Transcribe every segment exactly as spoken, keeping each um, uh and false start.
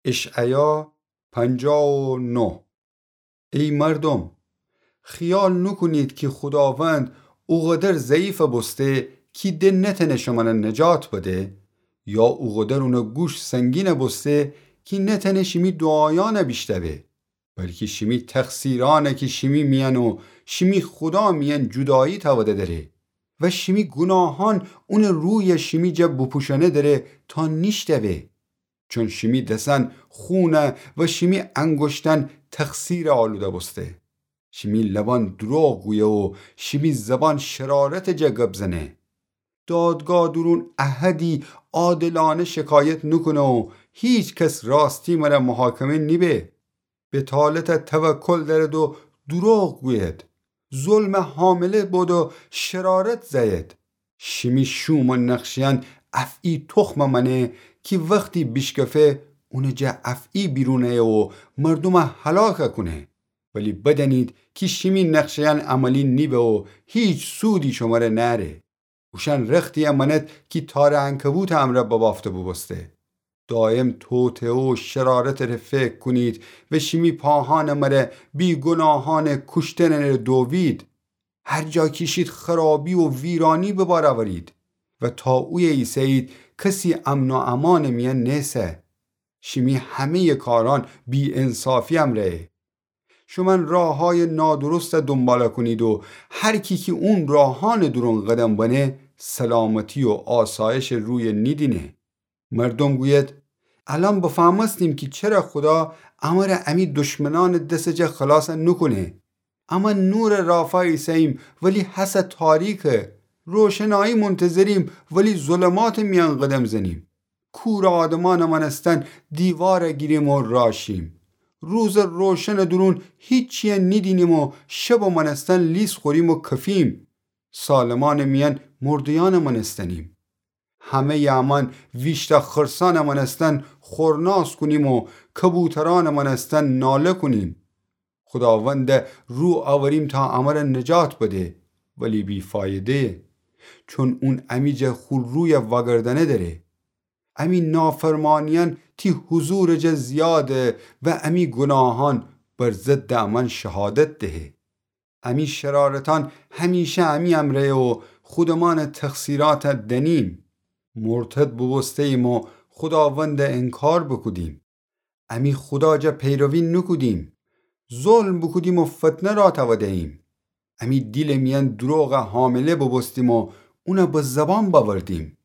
اشعیا پنجاه و نه. ای مردم، خیال نوکونید کی خوداوند اوقدر ضعیف بوسته کی ده نتأنه شمره نجات بده، یا اوقدر اونٚ گوش سنگین بوسته کی نتأنه شیمی دوعایأنه بیشتوه، بلکی شیمی تقصیرأنه کی شیمی میأن و شیمی خودا میأن جودایی تأوده دره و شیمی گوناهأن اونٚ روی شیمی جا بوپوشأنه دره تا نیشتوه. چون شیمی دسأن خونه و شیمی انگوشتأن تقصیر آلوده بوسته. شیمی لبأن دروغ گویه و شیمی زبان شرارتٚ جا گب زنه. دادگاه دورون احدی عادلأنه شکایت نوکونه و هیکس راستی مره محاکمه نیبه. بطالته توکل دأرد و دروغ گوید. ظلمه حامله بید و شرارت زأید. شیمی شوم و نقشه‌یأن افعی تخمه مأنه کی وختی بیشکفه، اونٚ جا افعی بیرون أیه و مردومه هلاک کونه. ولی بدأنید کی شیمی نقشه‌یأن عملی نیبه و هیچ سودی شمره نأره. اوشأن رختیی مأند کی تارٚ عنکبوتٚ امرأ ببافته بوبوسته. دایم توطئه و شرارتٚ ره فکر کونید و شیمی پاهأنٚ مره بیگوناهأنٚ کوشتنٚ ره دووید. هر جا کی شید خرابی و ویرأنی به بار أورید و تا اویه ایسه‌یید کسی امن و امانٚ میأن نیسه. شیمی همه‌یٚ کارأن بی‌انصافی امرأیه. شومأن راههایٚ نادرست دونبال کونید و هر کی کی اون راهأنٚ دورون قدم بنه، سلامتی و آسایشٚ روی نیدینه. مردوم گوید: الأن بفهمستیم کی چره خودا امر امی دشمنأنٚ دسٚ جا خلاص نوکونه. اما نورٚ رافا ایسه‌ییم، ولی هسه تاریکه. روشنایی منتظریم، ولی ظلماتٚ میأن قدم زنیم. کورٚ آدمأنٚ مأنستن دیوار گیریم و راشیم. روزٚ روشنٚ دورون هیچیی نیدینیم و شبٚ مأنستن لیس خوریم و کفیم. سالمأنٚ میأن مرده‌یأنٚ مأنستنیم. همه‌یٚ امأن ویشتأ خرسأنٚ مأنستن خورناس کونیم و کبوترأنٚ مأنستن ناله کونیم. خوداوند رو أوریم تا امر نجات بده، ولی بی‌فایده‌یه، چون اون امی جا خو روی وأگردأنه دره. امی نافرمانیأن تی حضورٚ جا زیاده و امی گوناهأن بر ضدٚ امأن شهادت دهه. امی شرارتأن همیشه امی امرأیه و خودمأنٚ تقصیرأت دنیم. مرتد بوبوسته‌ییم و خوداوند انکار بوکودیم. امی خودا جا پیروی نوکودیم. ظلم بوکودیم و فتنه راه تأوده‌ییم. امی دیلٚ میأن دروغ حامله بوبوستیم و اون به زبان بأوردیم.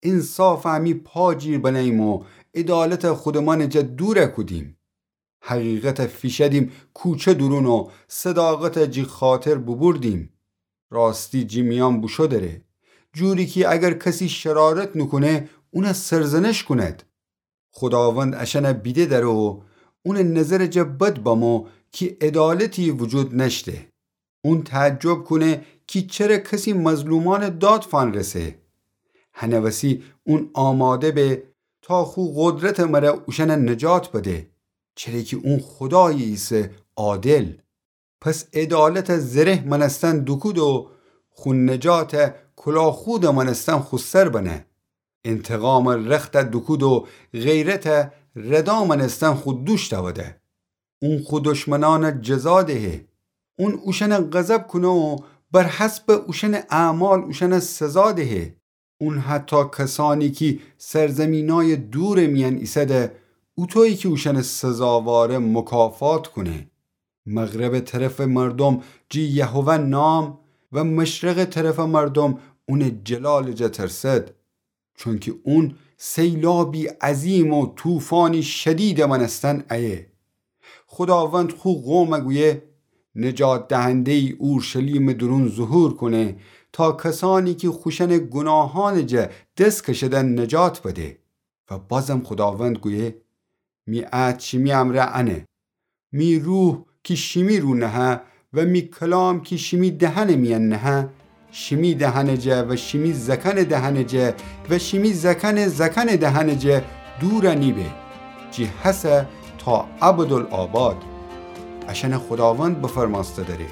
انصاف امی پا جیر بنه‌ییم و عدالت خودمأنٚ جا دور کودیم. حقیقت فیشأدیم کوچه دورون و صداقت جی خاطر بوبوردیم. راستی جی میأن بوشو دره، جوری کی اگر کسی شرارت نوکونه، اون سرزنش کونید. خوداوند اشأن بیده دره و اونٚ نظرٚ جا بد بمو کی عدالتی وجود نأشته. اون تعجب کونه کی چره کسی مظلومأنٚ داد فأنرسه. هنٚ وسی اون آماده به تا خو قدرتٚ مره اوشأن نجات بده، چره کی اون خودایی ایسه عادل. پس عدالت زره مأنستن دوکود و خو نجات کلاخودٚ مأنستن خو سر بنه. انتقام رخت دوکود و غیرت ردا مأنستن خو دوش تأوده. اون خو دشمنأن جزا دهه. اون اوشأن غضب کونه و بر حسب اوشأنٚ اعمال اوشأن سزا دهه. اون حتی کسأنی کی سرزمینأیٚ دورٚ میأن ایسده، اوطویی کی اوشأنٚ سزاواره مکافات کونه. مغربٚ طرفٚ مردوم جی یهوه نام و مشرقٚ طرفٚ مردوم اونٚ جلالٚ جا ترسد. چونکی اون سیلابی عظیم و طوفانی شدیدٚ مأنستن ایه. خوداوند خو قوم گویه: نجات دهنده‌یی اورشلیمٚ دورون ظهور کونه تا کسأنی کی خوشأنٚ گوناهأنٚ جا دس کشده نجات بده. و بازم خوداوند گویه: می عهد شیمی امرأ انه. می روح کی شیمی رو نهه و می کلام کی شیمی دهنٚ میأن نهه، شیمی دهنٚ جا و شیمی زأکأنٚ دهنٚ جا و شیمی زأکأنٚ زأکأنٚ دهنٚ جا دور نیبه. جی هسه تا ابدالآباد. اشأن خوداوند بفرمأسته دره.